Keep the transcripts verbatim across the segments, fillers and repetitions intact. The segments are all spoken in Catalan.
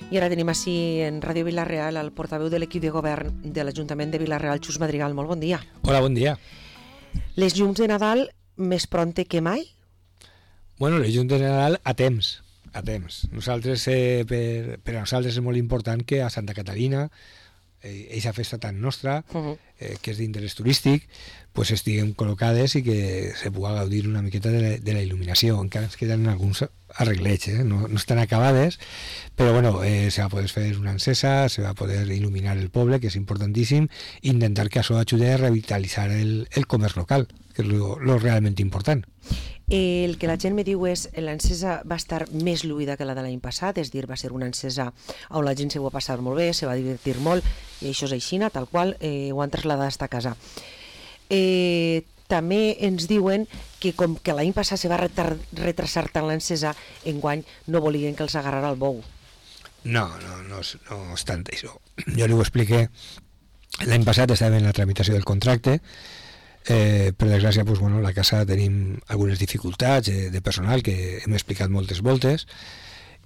I ara tenim així en Ràdio Vila-real el portaveu de l'equip de govern de l'Ajuntament de Vila-real, Xus Madrigal. Molt bon dia. Hola, bon dia. Les llums de Nadal més pronte que mai? Bueno, les llums de Nadal a temps, a temps. Nosaltres, eh, per, per a nosaltres és molt important que a Santa Caterina, eh, eixa festa tan nostra, uh-huh. eh, que és d'interès turístic, pues estiguem col·locades i que se pugui gaudir una miqueta de la, de la il·luminació. Encara ens queden alguns arreglets, eh? no, no estan acabades, però bueno, eh, se va poder fer una encesa, se va poder il·luminar el poble, que és importantíssim, i intentar que això ajudi a revitalitzar el, el comerç local, que és lo, lo realment important. El que la gent me diu és que l'encesa va estar més lluïda que la de l'any passat, és dir, va ser una encesa on la gent se ho va passar molt bé, se va divertir molt, i això és aixina, tal qual, eh, ho han traslladat a casa. Eh, també ens diuen que com que l'any passat se va retar, retrasar tant l'encesa, enguany no volien que els agarrara el bou. No, no, no, és, no és tant això. Jo li ho expliqué, l'any passat estàvem en la tramitació del contracte, eh, per desgràcia, pues, bueno, a la casa tenim algunes dificultats eh, de personal que hem explicat moltes voltes,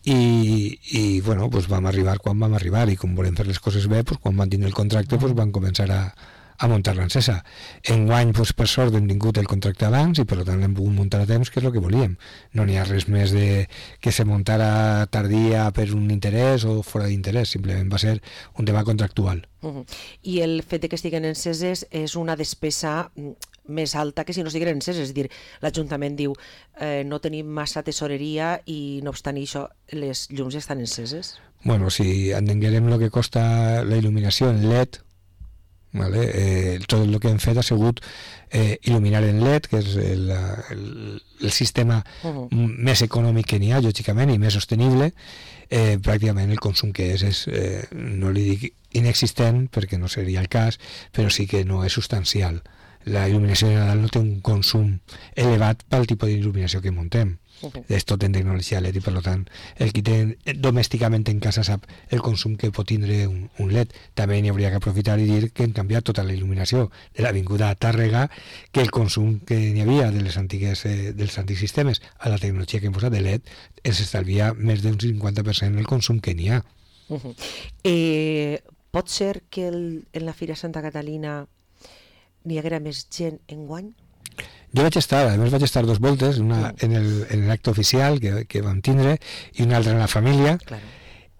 i, i bueno, pues vam arribar quan vam arribar, i com volem fer les coses bé, pues, quan van tindre el contracte pues, van començar a a muntar l'encesa. Enguany, doncs, per sort, hem tingut el contracte abans i per tant l'hem pogut muntar a temps, que és el que volíem. No n'hi ha res més de que se muntara tardia per un interès o fora d'interès, simplement va ser un tema contractual. Uh-huh. I el fet de que estiguen enceses és una despesa més alta que si no estiguin enceses, és a dir, l'Ajuntament diu eh, no tenim massa tesoreria i no obstant això les llums ja estan enceses? Bueno, si entenguérem el que costa la il·luminació en L E D, vale? Eh, tot el que hem fet ha sigut eh, il·luminar en L E D, que és el, el, el sistema uh-huh. més econòmic que n'hi ha, lògicament, i més sostenible. Eh, pràcticament el consum que és, és eh, no li dic inexistent, perquè no seria el cas, però sí que no és substancial. La il·luminació de Nadal no té un consum elevat pel tipus d'il·luminació que muntem. Uh-huh. És tot en tecnologia L E D i per tant el qui té domèsticament en casa sap el consum que pot tindre un, un L E D. També n'hi hauria que aprofitar i dir que hem canviat tota la il·luminació de l'avinguda a Tàrrega, que el consum que n'hi havia de les antigues, eh, dels antics sistemes a la tecnologia que hem posat de L E D ens estalvia més d'un cinquanta per cent el consum que n'hi ha. Uh-huh. eh, pot ser que el, en la Fira Santa Catalina n'hi haguera més gent enguany? Jo vaig estar, a més vaig estar dos voltes, una en el, en l'acte oficial que, que vam tindre i una altra en la família, claro.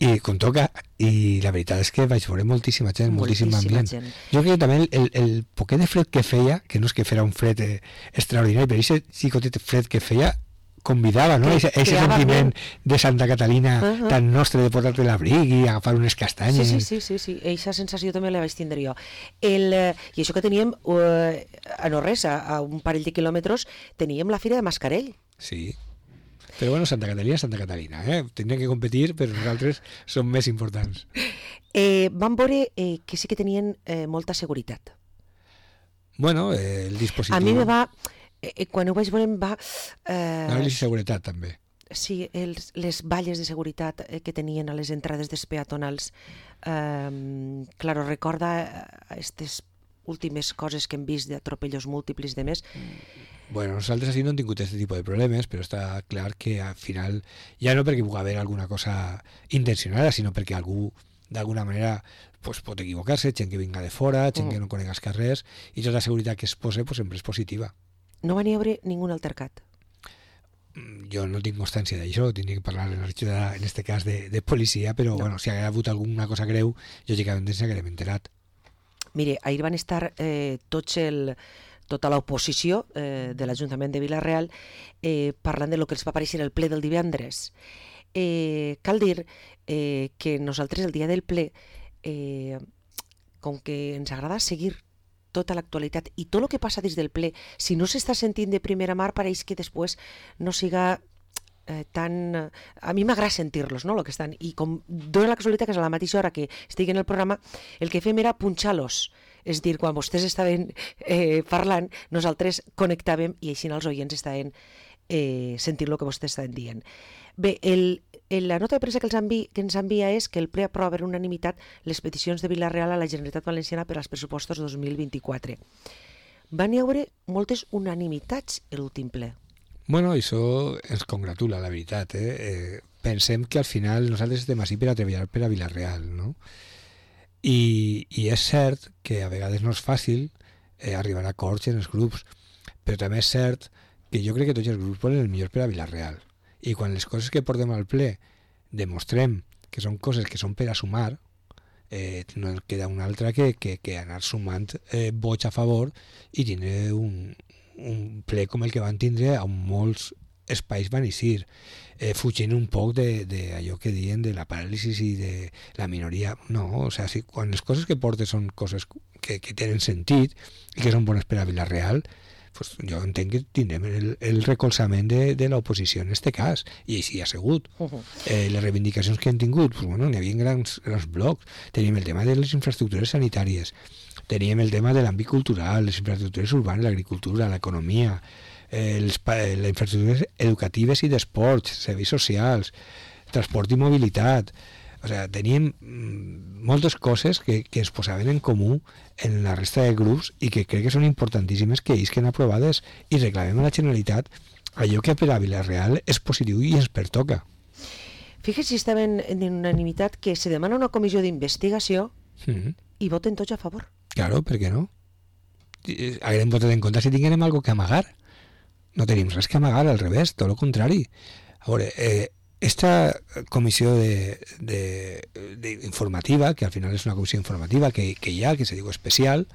I com toca, i la veritat és que vaig veure moltíssima gent, moltíssim ambient. Gent. Jo crec que també el, el poquet de fred que feia, que no és que fera un fred eh, extraordinari, però aquest xicotet fred que feia convidava, no? Aquest sentiment de Santa Catalina uh-huh. tan nostre de portar-te l'abric i agafar unes castanyes. Sí, sí, sí, sí, eixa sensació també la vaig tindre jo. El, eh, I això que teníem, eh, a no res, a, a un parell de quilòmetres, teníem la Fira de Mascarell. Sí, però bueno, Santa Catalina és Santa Catalina, eh? Tindrem que competir, però nosaltres som més importants. Eh, vam veure eh, que sí que tenien eh, molta seguretat. Bueno, eh, el dispositiu... A mi me va... Eh, quan ho vaig veure em va... Eh... No, i seguretat també. Sí, els, les valles de seguretat eh, que tenien a les entrades dels peatonals. Eh, claro, recorda aquestes últimes coses que hem vist d'atropellos múltiples de més. Bueno, nosaltres així no hem tingut aquest tipus de problemes, però està clar que al final, ja no perquè pugui haver alguna cosa intencionada, sinó perquè algú d'alguna manera pues, pot equivocar-se, gent que vinga de fora, gent mm. que no conega els carrers, i tota la seguretat que es posa pues, sempre és positiva. No va n'hi haver ningú altercat? Jo no tinc constància d'això, tindria que parlar en aquest cas de, de policia, però no. Bueno, si hagués hagut alguna cosa greu, lògicament ens haguem enterat. Mire, ahir van estar eh, tots el, tota l'oposició eh, de l'Ajuntament de Vila-real eh, parlant de lo que els va aparèixer el ple del divendres. Eh, cal dir eh, que nosaltres el dia del ple, eh, com que ens agrada seguir tota l'actualitat i tot el que passa des del ple, si no s'està sentint de primera mà, pareix que després no siga eh, tan... A mi m'agrada sentir-los, no?, lo que estan. I com dona la casualitat que és a la mateixa hora que estic en el programa, el que fem era punxar-los. És dir, quan vostès estaven eh, parlant, nosaltres connectàvem i així els oients estaven eh, sentint el que vostès estaven dient. Bé, el, la nota de premsa que, envi, que ens envia és que el ple aprova per unanimitat les peticions de Vila-real a la Generalitat Valenciana per als pressupostos dos mil vint-i-quatre. Van hi haver moltes unanimitats l'últim ple. Bueno, això ens congratula, la veritat. Eh? Eh, pensem que al final nosaltres estem així per a treballar per a Vila-real, no? I, i és cert que a vegades no és fàcil eh, arribar a acords en els grups, però també és cert que jo crec que tots els grups volen el millor per a Vila-real. I quan les coses que portem al ple demostrem que són coses que són per a sumar, eh, no queda una altra que, que, que anar sumant eh, vots a favor i tindre un, un ple com el que van tindre on molts espais van eixir, eh, fugint un poc d'allò que diuen de la paràlisi i de la minoria. No, o sea, si, quan les coses que portes són coses que, que tenen sentit i que són bones per a Vila-real, pues jo entenc que tindrem el, el recolzament de, de l'oposició en aquest cas, i així ha sigut. Eh, les reivindicacions que hem tingut, pues, bueno, n'hi havia grans, grans blocs. Teníem el tema de les infraestructures sanitàries, teníem el tema de l'àmbit cultural, les infraestructures urbanes, l'agricultura, l'economia, eh, les, les infraestructures educatives i d'esports, serveis socials, transport i mobilitat. O sigui, teníem moltes coses que, que ens posaven en comú en la resta de grups i que crec que són importantíssimes que isquen aprovades i reclamem a la Generalitat allò que per a Vila-real és positiu i ens pertoca. Fíjese si estaven en unanimitat que se demana una comissió d'investigació mm-hmm. i voten tots a favor. Claro, per què no? Haguem votat en contra si tinguem alguna que amagar. No tenim res que amagar, al revés, tot el contrari. A veure, eh, esta comissió de, de, de informativa, que al final és una comissió informativa que, que hi ha, que se diu especial,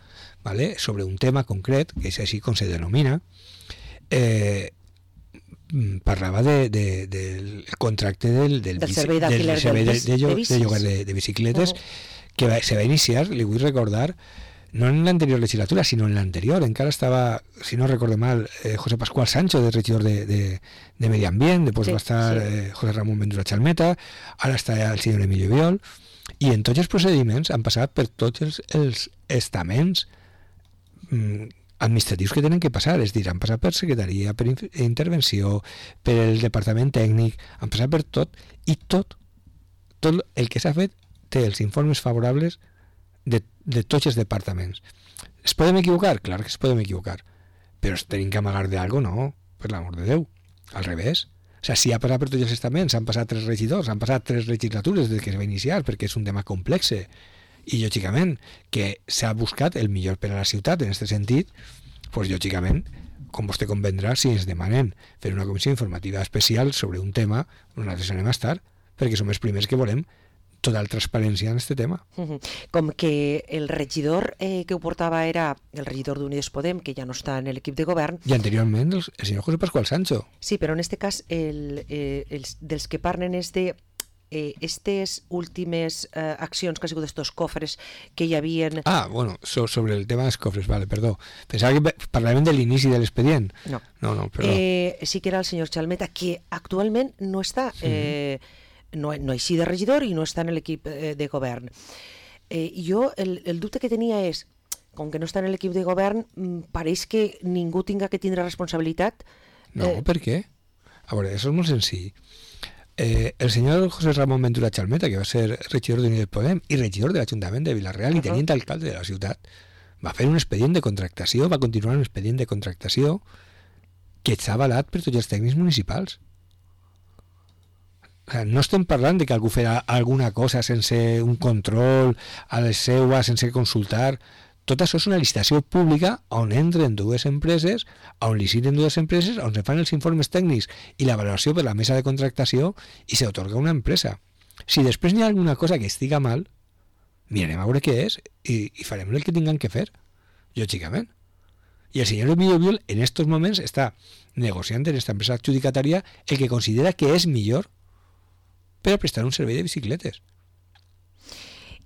¿vale? Sobre un tema concret, que és així com se denomina, eh, parlava de, de, del contracte del, del, del servei d'alquiler de, de, de, de, de, de lloguer de, de bicicletes, uh-huh. que va, se va iniciar, li vull recordar, no en l'anterior legislatura, sinó en l'anterior. Encara estava, si no recordo mal, eh, José Pascual Sancho, de regidor de, de, de Medi Ambient, després sí, va estar sí. eh, José Ramón Ventura Chalmeta, ara està el senyor Emilio Viol, i en tots els procediments han passat per tots els, els estaments mm, administratius que tenen que passar, és a dir, han passat per secretaria, per intervenció, per el departament tècnic, han passat per tot, i tot, tot el que s'ha fet té els informes favorables de, de tots els departaments. Es podem equivocar? Clar que es podem equivocar, però tenim que amagar d'algo, no, per l'amor de Déu, al revés. O sigui, si ha passat per tots els estaments, han passat tres regidors, han passat tres legislatures des que es va iniciar, perquè és un tema complex, i lògicament que s'ha buscat el millor per a la ciutat en aquest sentit, doncs lògicament, com vostè convendrà, si ens demanen fer una comissió informativa especial sobre un tema, nosaltres anem a estar, perquè som els primers que volem total transparència en aquest tema. Com que el regidor eh, que ho portava era el regidor d'Unides Podem, que ja no està en l'equip de govern. I anteriorment el, el senyor José Pascual Sancho. Sí, però en aquest cas el, eh, els, dels que parlen és de eh, estes últimes eh, accions que ha sigut estos cofres que hi havien... Ah, bueno, so, sobre el tema dels cofres, vale, perdó. Pensava que parlàvem de l'inici de l'expedient. No. No, no, perdó. Eh, sí que era el senyor Chalmeta, que actualment no està... Eh, mm. No, no així de regidor i no està en l'equip eh, de govern. Eh, jo el, el dubte que tenia és, com que no està en l'equip de govern, pareix que ningú tinga que tindre responsabilitat. No, eh... per què? A veure, això és molt senzill. Eh, el senyor José Ramón Ventura Chalmeta, que va ser regidor d'Unides Podem i regidor de l'Ajuntament de Vila-real uh-huh. i tenint alcalde de la ciutat, va fer un expedient de contractació, va continuar un expedient de contractació que està avalat per tots els tècnics municipals. O sigui, no estem parlant de que algú farà alguna cosa sense un control a les seues, sense consultar. Tot això és una licitació pública on entren dues empreses, on liciten dues empreses, on se fan els informes tècnics i la valoració per la mesa de contractació i s'atorga una empresa. Si després n'hi ha alguna cosa que estiga mal, mirarem a veure què és i, i farem el que tinguem que fer, lògicament. I el senyor Emilio Viol en aquests moments està negociant en aquesta empresa adjudicatària el que considera que és millor per a prestar un servei de bicicletes.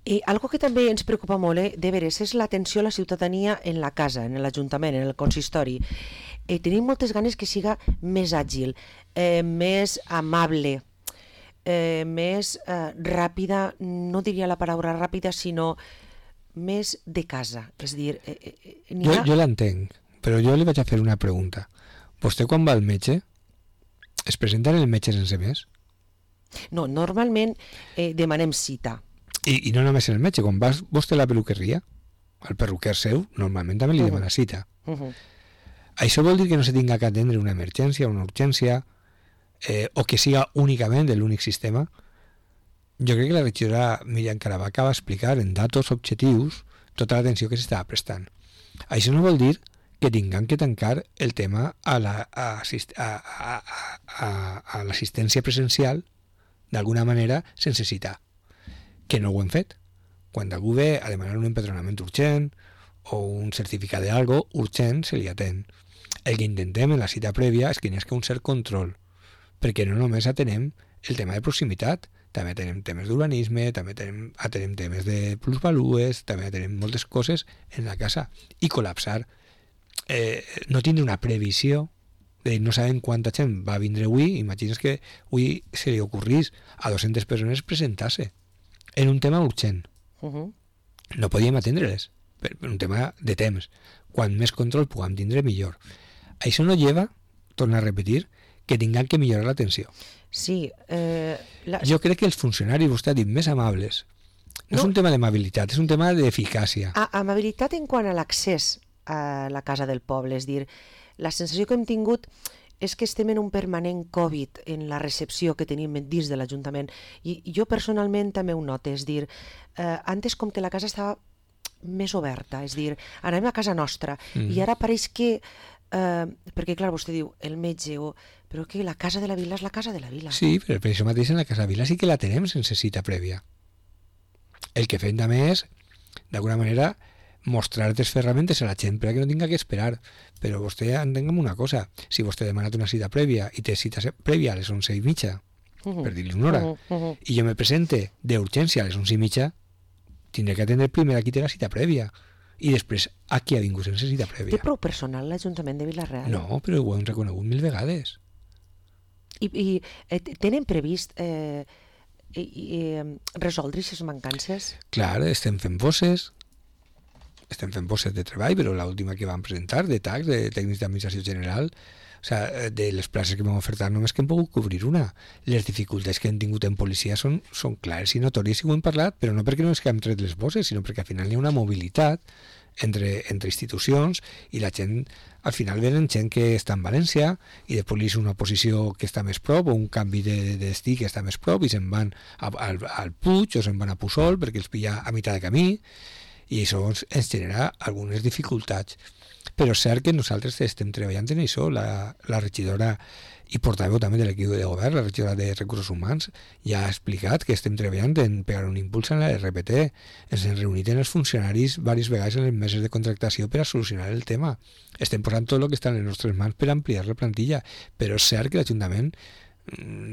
I algo que també ens preocupa molt, eh, de veres, és l'atenció a la ciutadania en la casa, en l'Ajuntament, en el consistori. Eh, tenim moltes ganes que siga més àgil, eh, més amable, eh, més eh, ràpida, no diria la paraula ràpida, sinó més de casa. És dir, eh, eh, jo, ha... jo l'entenc, però jo li vaig a fer una pregunta. Vostè quan va al metge, es presenta en el metge sense més? No, normalment eh, demanem cita. I, I no només en el metge, quan vas vostè a la peluqueria, al perruquer seu, normalment també li uh-huh. demana cita. Uh-huh. Això vol dir que no se tinga que atendre una emergència, una urgència, eh, o que siga únicament l'únic sistema. Jo crec que la regidora Míriam Caravaca va explicar en datos objectius tota l'atenció que s'estava prestant. Això no vol dir que tinguem que tancar el tema a la, a, a, a, a, a l'assistència presencial d'alguna manera sense citar, que no ho hem fet. Quan algú ve a demanar un empadronament urgent o un certificat d'algo urgent, se li atén. El que intentem en la cita prèvia és que n'hi hagi un cert control, perquè no només atenem el tema de proximitat, també atenem temes d'urbanisme, també atenem, atenem temes de plusvalues, també atenem moltes coses en la casa. I col·lapsar, eh, no tindre una previsió, de dir, no sabem quanta gent va vindre avui, imagines que avui se li ocorrís a dues-centes persones presentar-se en un tema urgent. Uh-huh. No podíem atendre-les, per un tema de temps. Quan més control puguem tindre, millor. Això no lleva, torno a repetir, que tinguem que millorar l'atenció. Sí. Eh, la... Jo crec que els funcionaris, vostè ha dit, més amables, no, no és un tema d'amabilitat, és un tema d'eficàcia. A, amabilitat en quant a l'accés a la casa del poble, és dir, la sensació que hem tingut és que estem en un permanent Covid en la recepció que tenim dins de l'Ajuntament, i jo personalment també ho noto, és dir, eh, antes com que la casa estava més oberta, és dir, anem a casa nostra, mm. i ara pareix que Uh, perquè clar, vostè diu el metge, o... però que la casa de la vila és la casa de la vila. Sí, però per això mateix en la casa de la vila sí que la tenem sense cita prèvia. El que fem també és, d'alguna manera, mostrar les ferramentes a la gent perquè no tinga que esperar. Però vostè entenguem una cosa, si vostè ha demanat una cita prèvia i té cita prèvia a les onze i mitja, uh-huh. per dir-li una hora, uh-huh. Uh-huh. i jo me presente d'urgència a les onze i mitja, tindré que atendre primer a qui té la cita prèvia. I després a qui ha vingut sense cita prèvia. Té prou personal l'Ajuntament de Vila-real? No, però ho hem reconegut mil vegades. I, i eh, tenen previst eh, i, i, resoldre aquestes mancances? Clar, estem fent bosses, estem fent bosses de treball, però l'última que vam presentar, de tacs, de tècnics d'administració general, o sigui, de les places que vam ofertar només que hem pogut cobrir una. Les dificultats que hem tingut en policia són, són clares i notòries, i ho hem parlat, però no perquè no és que hem tret les bosses, sinó perquè al final hi ha una mobilitat entre, entre institucions, i la gent, al final venen gent que està en València i després li és una posició que està més prop, o un canvi de, de destí que està més prop, i se'n van a, al, al Puig o se'n van a Puçol perquè els pilla a meitat de camí, i això ens genera algunes dificultats. Però és cert que nosaltres estem treballant en això. La, la regidora i portaveu també de l'equip de govern, la regidora de Recursos Humans, ja ha explicat que estem treballant en pegar un impuls en la R P T. Ens hem reunit amb els funcionaris diverses vegades en les meses de contractació per a solucionar el tema. Estem posant tot el que està en les nostres mans per ampliar la plantilla, però és cert que l'Ajuntament,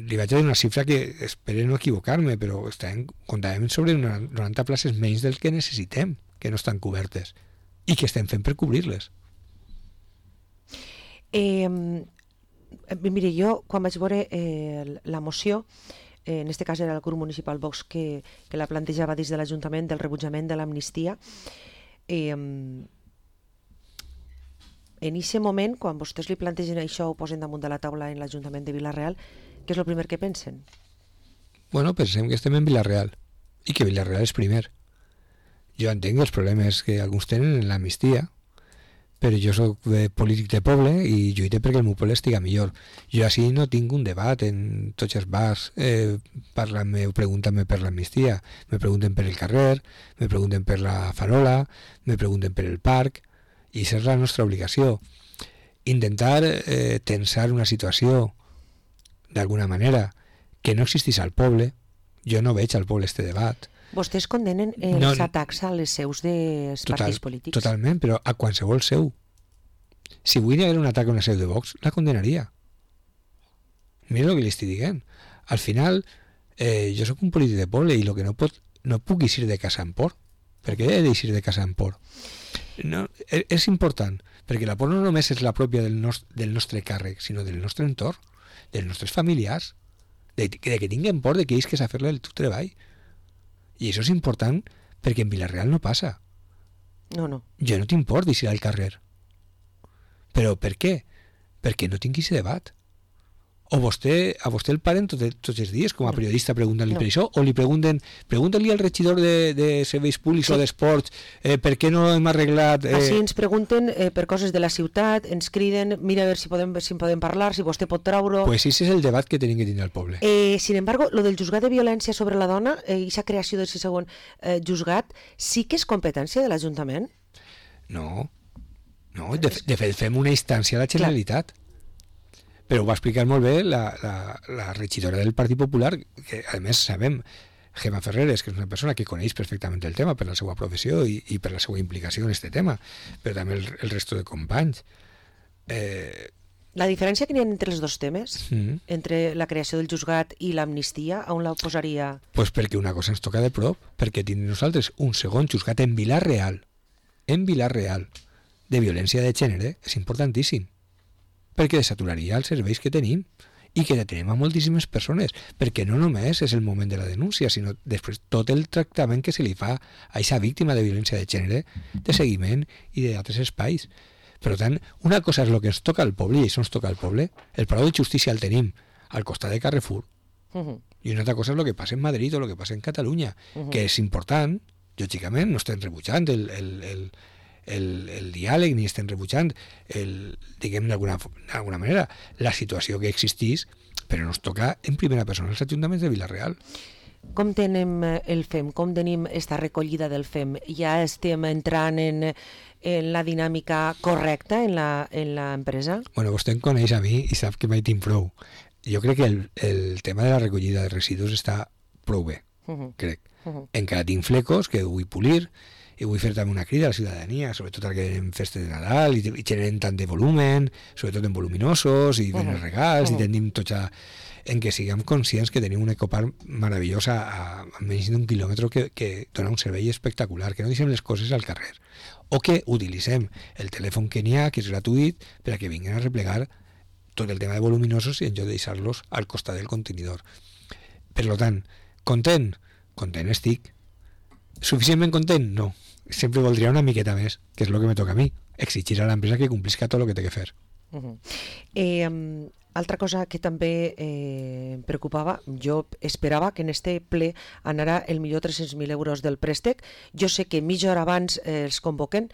li vaig a dir una xifra que espero no equivocar-me, però estem, comptàvem sobre una noranta places menys del que necessitem, que no estan cobertes, i que estem fent per cobrir-les. Eh, mire, jo quan vaig veure eh, la moció, eh, en este cas era el grup municipal Vox que, que la plantejava des de l'Ajuntament del rebutjament de l'amnistia, eh, en aquest moment, quan vostès li plantegen això, ho posen damunt de la taula en l'Ajuntament de Vila-real, què és el primer que pensen? Bueno, pensem que estem en Vila-real i que Vila-real és primer. Jo entenc els problemes que alguns tenen en l'amnistia, però jo soc polític de poble i lluite perquè el meu poble estiga millor. Jo així no tinc un debat en tots els bars, eh, parlant-me o preguntant-me per l'amnistia. Me pregunten per el carrer, me pregunten per la farola, me pregunten per el parc, i això és la nostra obligació. Intentar eh, tensar una situació d'alguna manera que no existís al poble. Jo no veig al poble este debat. Vostès condenen els no, atacs a les seus dels total, partits polítics? Totalment, però a qualsevol seu. Si avui hi hagués un atac a una seu de Vox, la condenaria. Mira el que li estic dient. Al final, eh, jo sóc un polític de poble i el que no, pot, no puc eixir de casa en por. Per què he d'eixir de casa en por? No, és, és important, perquè la por no només és la pròpia del, nos, del nostre càrrec, sinó del nostre entorn, dels nostres familiars, de, de que tinguin por de que ells que s'ha fer-le el teu treball. I això és important perquè en Vila-real no passa. No, no. Jo no tinc por d'eixir al carrer. Però per què? Perquè no tinc aquest debat. O vostè, a vostè el paren tot, tots els dies, com a No. periodista, preguntant-li No. per això, o li pregunten, pregunta-li al regidor de, de serveis públics Sí. o d'esports eh, per què no hem arreglat... Eh... Així ens pregunten eh, per coses de la ciutat, ens criden, mira a veure si podem, si en podem parlar, si vostè pot treure... Pues ese és el debat que tenim que tindre al poble. Eh, sin embargo, lo del juzgat de violència sobre la dona i eh, aquesta creació del segon eh, juzgat sí que és competència de l'Ajuntament? No, no, de, de fet fem una instància a la Generalitat. Però ho va explicar molt bé la, la, la regidora del Partit Popular, que a més sabem, Gemma Ferreres, que és una persona que coneix perfectament el tema per la seva professió i, i per la seva implicació en aquest tema, però també el, el resto de companys. Eh, La diferència que n'hi ha entre els dos temes, mm, entre la creació del juzgat i l'amnistia, on la posaria? pues perquè una cosa ens toca de prop, perquè tindrem nosaltres un segon juzgat en Vila-real, en Vila-real, de violència de gènere, és importantíssim, perquè desaturaria els serveis que tenim i que detenem a moltíssimes persones, perquè no només és el moment de la denúncia, sinó després tot el tractament que se li fa a aquesta víctima de violència de gènere, de seguiment i d'altres espais. Per tant, una cosa és el que ens toca al poble, i això ens toca al poble, el Palau de Justícia el tenim al costat de Carrefour, Uh -huh. i una altra cosa és el que passa en Madrid o el que passa en Catalunya, Uh -huh. que és important, lògicament, no estem rebutjant el, el, el, el, el diàleg ni estem rebutjant el, diguem d'alguna d'alguna manera la situació que existís, però no es toca en primera persona els ajuntaments de Vila-real. Com tenim eh, el F E M? Com tenim esta recollida del F E M? Ja estem entrant en, en la dinàmica correcta en la, en la empresa? Bueno, vostè em coneix a mi i sap que mai tinc prou. Jo crec que el, el tema de la recollida de residus està prou bé, Uh -huh. crec. Uh -huh. Encara tinc flecos que vull polir, i vull fer també una crida a la ciutadania, sobretot ara que anem festes de Nadal i, i generen tant de volumen, sobretot en voluminosos i ben Uh-huh. els regals, Uh-huh. i tendim tots a... en què siguem conscients que tenim un ecoparc meravellós a, a menys d'un quilòmetre que, que dona un servei espectacular, que no deixem les coses al carrer, o que utilitzem el telèfon que n'hi ha, que és gratuït, per a que vinguin a replegar tot el tema de voluminosos i en lloc de deixar-los al costat del contenidor. Per tant, content? Content estic. Suficientment content? No. Sempre voldria una miqueta més, que és el que me toca a mi, exigir a l'empresa que complisca tot el que té que fer. Uh -huh. eh, um, altra cosa que també eh, em preocupava, jo esperava que en este ple anara el millor tres-cents mil euros del préstec. Jo sé que mitja hora abans eh, els convoquen,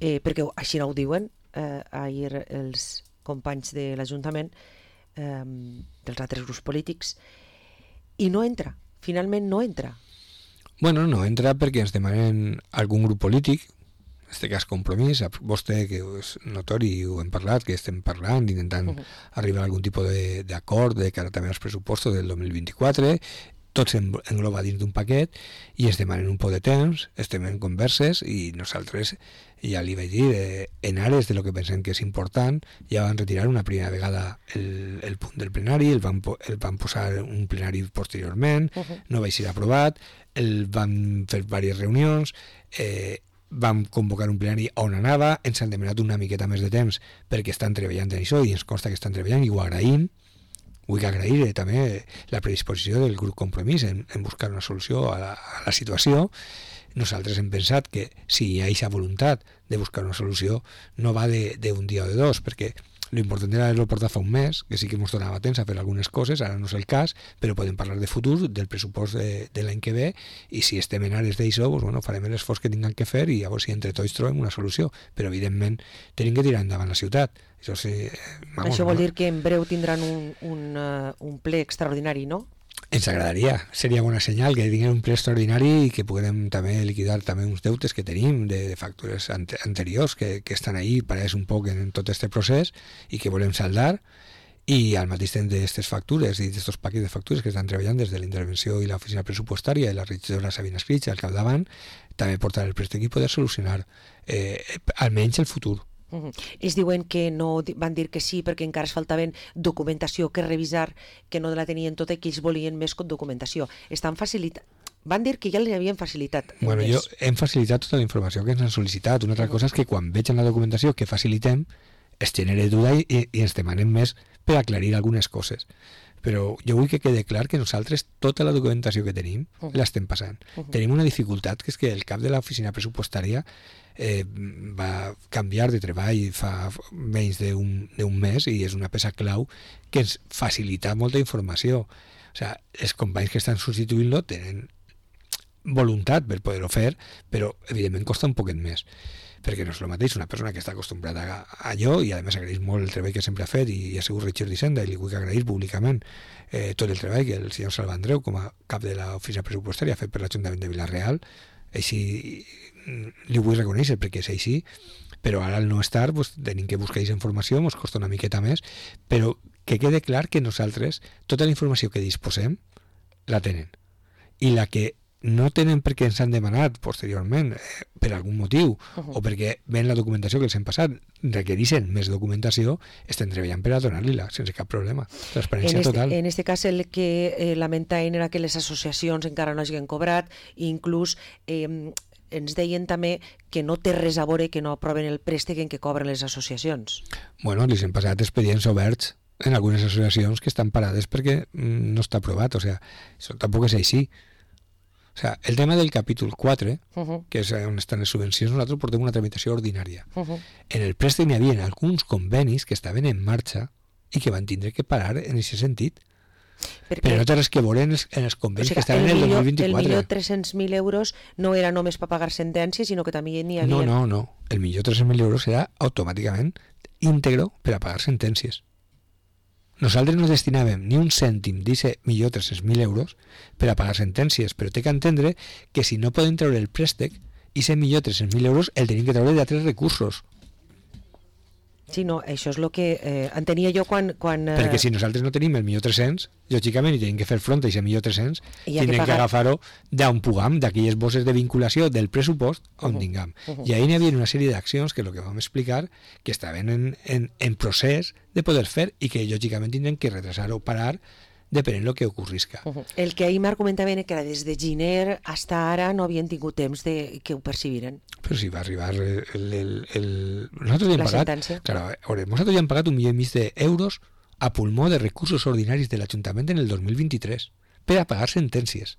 eh, perquè així no ho diuen eh, ahir els companys de l'Ajuntament, eh, dels altres grups polítics, i no entra, finalment no entra. Bueno, no entra perquè ens demanen algun grup polític, en aquest cas Compromís, sap vostè que és notori i ho hem parlat, que estem parlant, intentant uh-huh. arribar a algun tipus d'acord de cara també als pressupostos del dos mil vint-i-quatre, tot s'engloba dins d'un paquet i es demanen un poc de temps, estem en converses i nosaltres, ja li vaig dir, eh, en ares de lo que pensem que és important, ja van retirar una primera vegada el, el punt del plenari, el van, el van posar un plenari posteriorment, uh-huh. no va ser aprovat, el van fer diverses reunions, eh, vam convocar un plenari on anava, ens han demanat una miqueta més de temps perquè estan treballant en això i ens consta que estan treballant i ho agraïm. Vull agrair eh, també la predisposició del grup Compromís en, en buscar una solució a la, a la situació. Nosaltres hem pensat que si hi ha aquesta voluntat de buscar una solució no va d'un dia o de dos, perquè l'important era haver-lo portat fa un mes, que sí que ens donava temps a fer algunes coses, ara no és el cas, però podem parlar de futur, del pressupost de, de l'any que ve, i si estem en ares d'això, doncs, bueno, farem l'esforç que tinguem que fer i llavors si entre tots trobem una solució. Però evidentment tenim que tirar endavant la ciutat. Això, sí, vamos, Això vol no? dir que en breu tindran un, un, uh, un ple extraordinari, no? Ens agradaria, seria bona senyal que tinguem un ple extraordinari i que puguem també liquidar també uns deutes que tenim de, de factures ante, anteriors que, que estan ahí pareix un poc en, en tot este procés i que volem saldar, i al mateix temps d'aquestes factures i d'aquests paquets de factures que estan treballant des de la intervenció i l'oficina pressupostària i la regidora Sabina Escritx al capdavant, també portar el préstec i poder solucionar eh, almenys el futur. Uh-huh. Ells diuen que no van dir que sí perquè encara es faltaven documentació que revisar, que no la tenien tota i que ells volien més documentació. Estan facilitant. Van dir que ja li havien facilitat. Bueno, jo hem facilitat tota la informació que ens han sol·licitat. Una altra uh-huh. cosa és que quan vegin la documentació que facilitem es genera duda i, i ens demanen més per aclarir algunes coses. però jo vull que quede clar que nosaltres tota la documentació que tenim uh -huh. l'estem passant. Uh -huh. Tenim una dificultat, que és que el cap de l'oficina pressupostària eh, va canviar de treball fa menys d'un mes i és una peça clau que ens facilita molta informació. O sigui, els companys que estan substituint-lo tenen voluntat per poder-ho fer, però evidentment costa un poquet més, perquè no és el mateix una persona que està acostumbrada a allò i a més agraeix molt el treball que sempre ha fet i ha sigut Richard d'Hisenda i li vull agrair públicament eh, tot el treball que el senyor Salvandreu com a cap de l'oficina pressupostària ha fet per l'Ajuntament de Vila-real, així li vull reconèixer perquè és així, però ara al no estar pues, tenim que buscar aquesta informació, ens costa una miqueta més, però que quede clar que nosaltres tota la informació que disposem la tenen i la que no tenen perquè ens han demanat posteriorment eh, per algun motiu uh -huh. o perquè ven la documentació que els hem passat requereixen més documentació, estem treballant per a donar-li-la sense cap problema, transparència en este, total. En este cas el que eh, lamentaven era que les associacions encara no hagin cobrat i inclús eh, ens deien també que no té res a veure que no aproven el préstec en què cobren les associacions. Bueno, els hem passat expedients oberts en algunes associacions que estan parades perquè mm, no està aprovat, o sea, això tampoc és així. O sea, el tema del capítol quatre, uh -huh. que és on estan les subvencions, nosaltres portem una tramitació ordinària. Uh -huh. En el préstec hi havia alguns convenis que estaven en marxa i que van tindre que parar en aquest sentit. Perquè, però no té res que veure en els, en els convenis o sigui, que estaven en el dos mil vint-i-quatre. El millor tres-cents mil euros no era només per pagar sentències, sinó que també n'hi havia... No, no, no. El millor tres-cents mil euros era automàticament íntegro per a pagar sentències. Nosaltres no destinàvem ni un cèntim d'aquest millor tres-cents mil euros per a pagar sentències, però té que entendre que si no poden treure el préstec, aquest millor tres-cents mil euros el tenim que treure d'altres recursos. Sí, no, això és el que eh, entenia jo quan... quan eh... Perquè si nosaltres no tenim el millor tres-cents, lògicament, i tenim que fer front a aquest millor tres-cents, tindrem que, pagar... que agafar-ho d'on pugam, d'aquelles bosses de vinculació del pressupost on uh -huh. tinguem. Uh -huh. I ahir hi havia una sèrie d'accions, que és el que vam explicar, que estaven en, en, en procés de poder fer i que lògicament tindrem que retrasar o parar depenent del que ocorrisca. Uh -huh. El que ahir m'argumentaven que era des de gener fins ara no havien tingut temps de que ho percebiren. Però si va arribar el... el, el, el... Nosaltres ja hem la pagat... sentència. Claro, veure, nosaltres ja hem pagat un milió i mig d'euros a pulmó de recursos ordinaris de l'Ajuntament en el dos mil vint-i-tres per a pagar sentències.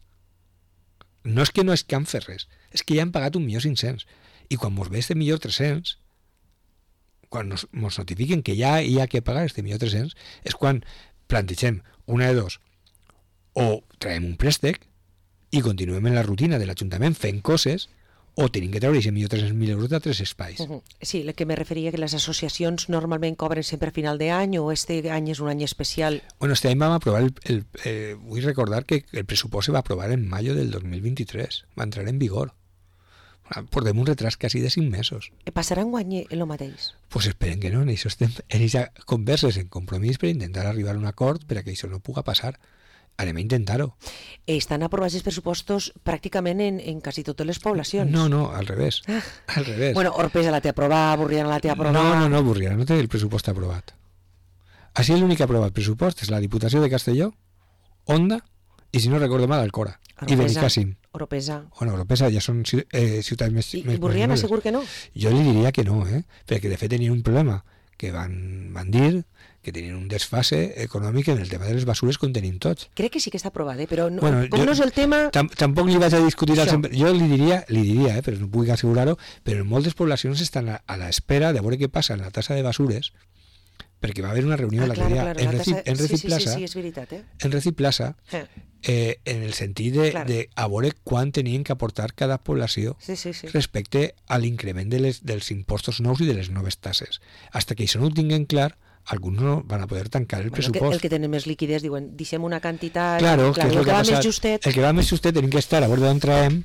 No és que no és que han fet res, és que ja han pagat un milió cinc-cents. I quan mos ve este milió tres-cents, quan nos, nos notifiquen que ja hi ha que pagar este milió tres-cents, és quan plantegem una de dos, o traiem un préstec i continuem en la rutina de l'Ajuntament fent coses, o tenim que treure aquest milió tres-cents mil euros d'altres espais. Uh -huh. Sí, el que me referia que les associacions normalment cobren sempre a final d'any o este any és un any especial. Bueno, este any vam aprovar, el, el, eh, vull recordar que el pressupost se va aprovar en mayo del dos mil vint-i-tres, va entrar en vigor. Portem un retras quasi de cinc mesos. Passarà un guany el mateix? Pues esperen que no, en això estem en aquesta converses, en compromís per intentar arribar a un acord per a que això no puga passar. Anem a intentar-ho. Estan aprovats els pressupostos pràcticament en, en quasi totes les poblacions. No, no, al revés. Ah. Al revés. Bueno, Orpesa la té aprovada, Burriana la té aprovada... No, no, no, Burriana no té el pressupost aprovat. Així l'únic que ha aprovat pressupost és la Diputació de Castelló, Onda, i si no recordo mal, Alcora. I Benicàssim. Oropesa. Bueno, Oropesa ja són eh, ciutats més... I, més i Burriana més segur que no? Jo li diria que no, eh? Perquè de fet tenien un problema que van, van dir que tenien un desfase econòmic en el tema de les basures com tenim tots. Crec que sí que està aprovat, eh? Però no, bueno, com jo, no és el tema... Tam, tampoc li vaig a discutir al sempre... Jo li diria, li diria eh, però no puc assegurar-ho, però en moltes poblacions estan a, a l'espera de veure què passa en la tassa de basures, perquè va haver una reunió ah, l'altre claro, dia claro, en Reci, tassa... en Reci sí, Plaça, sí, sí, sí, és veritat, eh? en Reci Plaça, eh. Eh, en el sentit de, claro. de a veure quan tenien que aportar cada població sí, sí, sí. respecte a l'increment de les, dels impostos nous i de les noves tasses. Hasta que això no ho tinguin clar, alguns no van a poder tancar el bueno, pressupost. El que, el que tenen més liquiditat diuen, deixem una quantitat... Claro, clar, que és el, el que, que va passat, més justet... El que va més justet tenim que estar a veure d'on traiem,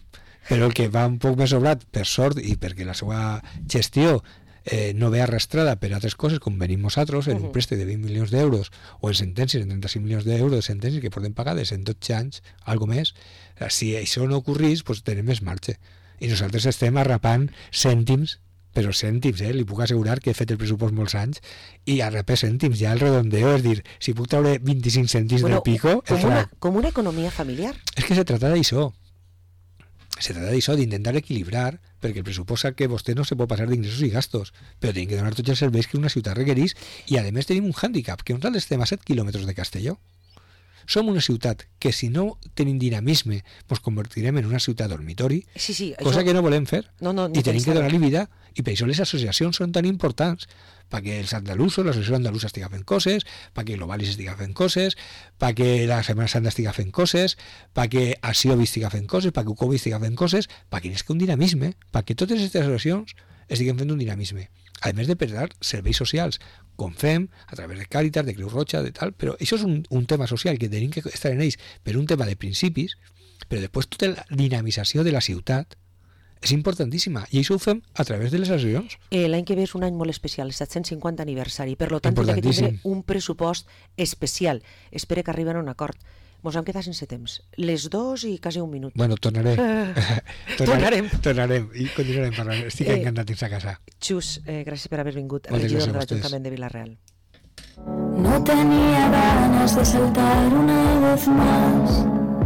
però el que va un poc més sobrat, per sort, i perquè la seva gestió eh, no ve arrastrada per altres coses, com venim nosaltres, en uh -huh. un préstec de vint milions d'euros, o en sentències de trenta-cinc milions d'euros de sentències que portem pagades en dotze anys, algo més, si això no ocorrís, pues tenim més marge. I nosaltres estem arrapant cèntims, però cèntims, eh? Li puc assegurar que he fet el pressupost molts anys, i arrapar cèntims, ja el redondeo, és dir, si puc treure vint-i-cinc cèntims bueno, del pico... Com una, com una economia familiar. És que se trata d'això. Se trata d'això, d'intentar equilibrar, perquè el pressupost sap que vostè no se pot passar d'ingressos i gastos, però tenim que donar tots els serveis que una ciutat requereix, i a més tenim un hàndicap, que nosaltres estem a set quilòmetres de Castelló. som una ciutat que si no tenim dinamisme ens convertirem en una ciutat dormitori, sí, sí, cosa això... que no volem fer, no, no, i tenim que donar-li vida, i per això les associacions són tan importants, perquè els andalusos, l'associació andalusa estiga fent coses, perquè Globalis estiga fent coses, perquè la Setmana Santa estiga fent coses, perquè Asiobi estiga fent coses, perquè Ucobi estiga fent coses, perquè és que un dinamisme, perquè totes aquestes associacions estiguen fent un dinamisme, a més de prestar serveis socials, com fem, a través de Càritas, de Creu Roja, de tal, però això és un, un tema social que tenim que estar en ells per un tema de principis, però després tota la dinamització de la ciutat és importantíssima, i això ho fem a través de les associacions. Eh, L'any que ve és un any molt especial, el set-cents cinquanta aniversari, per tant tindrà que tindre un pressupost especial. Espero que arriben a un acord. Mos hem quedat sense temps. Les dos i quasi un minut. Bueno, tornaré. Uh, tornarem. Tornarem i continuarem parlant. Estic eh, encantat dins a casa. Xus, eh, gràcies per haver vingut, Moltes regidor de gràcies l'Ajuntament de Vila-real. No tenía ganas de saltar una vez más.